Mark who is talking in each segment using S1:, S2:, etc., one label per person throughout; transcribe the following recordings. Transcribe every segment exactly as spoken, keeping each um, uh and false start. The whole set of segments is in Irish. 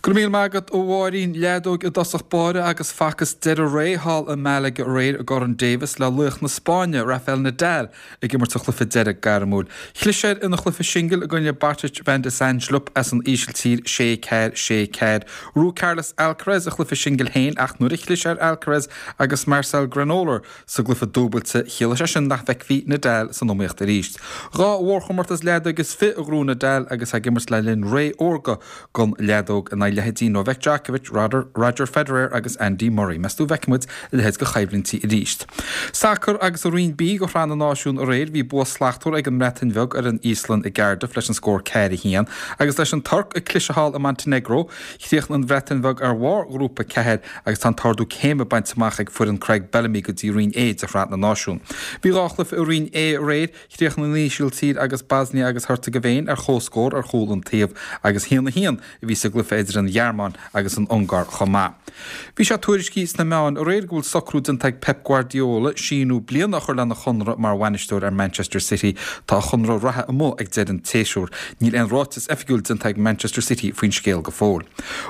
S1: Go raibh míle maith agat a Mháirín leadóg i dtosach báire agus facthas deireadh ré thall i Malaga aréir i gCorn Davis le laoch na Spáinne Rafael Nadal ag imirt a chluiche deiridh gairmiúil. Chlis air ina chluiche singil i gcoinne Botic van de Zandschulp as an Ísiltír sé ceathair sé ceathair. Ghnóthaigh Carlos Alcaraz a chluiche singil féin ach nuair a chlis ar Alcaraz agus Marcel Granollers sa gcluiche dúbailte chiallaigh sé sin nach bhfeicfí Nadal san iomaíocht arís. Dhá mhórchomórtas leadóige is fiche a ghnóthaigh Nadal agus ag imirt le linn ré órga don leadóg in aghaidh leithéidí Novak Djokovic, Roger, Roger Federer agus Andy Murray. Meas tú an bhfeicfidh muid a leithéid de choimhlintí arís. Sacar agus i Roinn B de Shraith na Náisiún aréir bhí bua slachtmhar ag an mBreatain Bheag ar an Íoslainn i gCardiff leis an scór ceathair a haon, agus leis an Tuirc ag cliseadh thall i Montenegro, chríochnaigh an Bhreatain Bheag ar bharr ghrúpa ceathair agus tá an t-ardú céime bainte amach ag foireann Craig Bellamy go dtí Roinn A de Shraith na Náisiún. Bhí dhá chluiche i Roinn A aréir, chríochnaigh an Ísiltír agus Bosnia agus Herzegovina ar comhscór ar chúl an taobh agus haon a haon a bhí sa gcluiche idir an Ghearmáin agus an Ungáir chomh maith. Bhí sé tuairiscithe sna meáin aréir go bhfuil socrú déanta ag Pep Guardiola síniú bliana a chur lena chonradh mar bhainisteoir ar Manchester City tá a chonradh reatha amuigh ag deireadh an tséasúir. Níl aon ráiteas oifigiúil déanta ag Manchester City faoin scéal go fóill.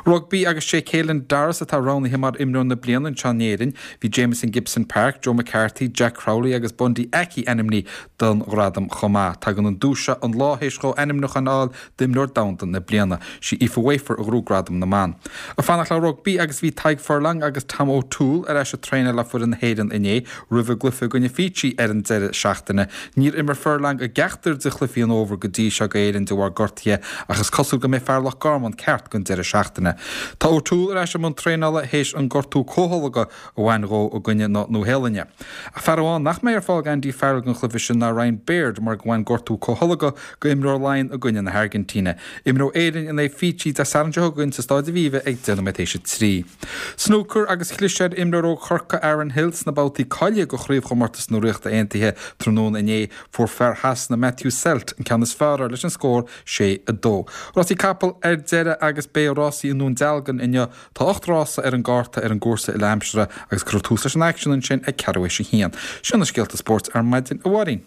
S1: Rugbaí agus sé Caelan Doris atá roghnaithe mar imreoir na bliana anseo in Éirinn, bhí Jamison Gibson Park, Joe McCarthy, Jack Crowley agus Bundee Aki ainmnithe don ghradam chomh maith. Tagann an duais seo an lá théis dhó ainmniúchán a fháil d'imreoir domhanda na bliana. Sí Aoife Wafer a ghnóthaigh gradam na mban. Ag fanacht le rugbaí agus bhí Tadhg Furlong agus Tom O'Toole ar ais ag traenáil le foireann na hÉireann inné roimh a gcluiche i gcoinne Fiji ar an deireadh seachtaine. Níor imir Furlong i gceachtar de chluichí an fhómhair go dtí seo d'Éirinn de bharr gortaithe ach is cosúil go mbeidh fear Loch Garman ceart don deireadh seachtaine. Tá O'Toole ar ais i mbun traenála théis an gortú comhtholgtha a bhain dhó i gcoinne na Nua-Shéalainne. Ach fear amháin nach mbeidh ar fáil ag Andy Farrell don chluiche sin ná Ryan Baird mar go bhain gortú comhtholgtha d'imreoir Laighean i gcoinne na hAirgintíne. Imreoidh Éirinn in aghaidh Fiji Dé Sathairn seo chugainn sa Staid Aviva ag deich nóiméad théis a trí. Snúcar agus chlis ar imreoir ó Chorcaigh Aaron Hill sna babhtaí cáilithe do chraobhchomórtas na Ríochta Aontaithe tráthnóna inné fuair fear Shasana Matthew Selt an ceann is fearr air leis an scór sé a dó. Rásaí capall ar deireadh agus beidh rásaí i nDún Dealgan inniu tá ocht rása ar an gcárta ar an gcúrsa uile-aimsire agus cuirfear tús leis an aicsean ansin ag ceathrú théis a haon. Sin na scéalta spóirt ar maidin a Mháirín.